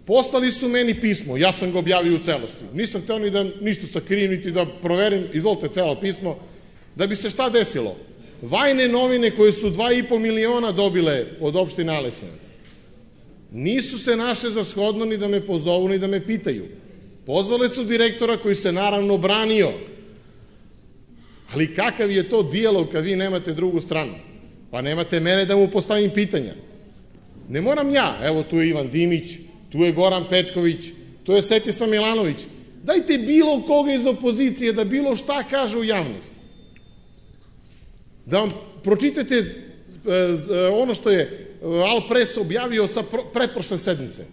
Poslali su meni pismo, ja sam ga objavio u celosti. Nisam hteo ni da ništa sakrijem, niti da proverim, izvolite celo pismo, da bi se šta desilo. Vajne novine koje su 2,5 miliona dobile od opštine Aleksinec nisu se naše za shodno ni da me pozovu ni da me pitaju. Pozvale su direktora koji se naravno branio. Ali kakav je to dijalog kad vi nemate drugu stranu? Pa nemate mene da mu postavim pitanja. Ne moram ja, evo tu je Ivan Dimić, tu je Goran Petković, tu je Svetislav Milanović. Dajte bilo koga iz opozicije da bilo šta kaže u javnosti. Da vam pročitate ono što je Al Pres objavio sa pretprošle sednice.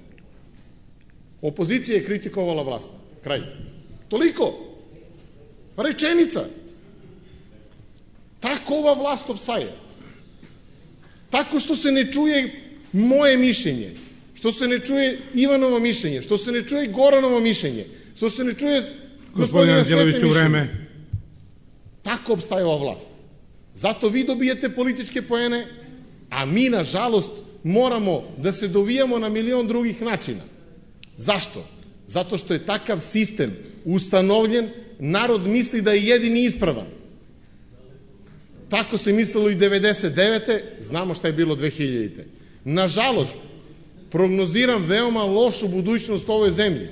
Opozicija je kritikovala vlast. Kraj. Toliko. Rečenica. Tako ova vlast opsaje. Tako što se ne čuje moje mišljenje, što se ne čuje Ivanovo mišljenje, što se ne čuje Goranovo mišljenje, što se ne čuje gospodina Svete mišljenje. Tako opstaje ova vlast. Zato vi dobijete političke poene, a mi, nažalost, moramo da se dovijamo na milion drugih načina. Zašto? Zato što je takav sistem ustanovljen, narod misli da je jedini ispravan. Tako se mislilo i 99. Znamo šta je bilo 2000. Nažalost, prognoziram veoma lošu budućnost ovoj zemlji.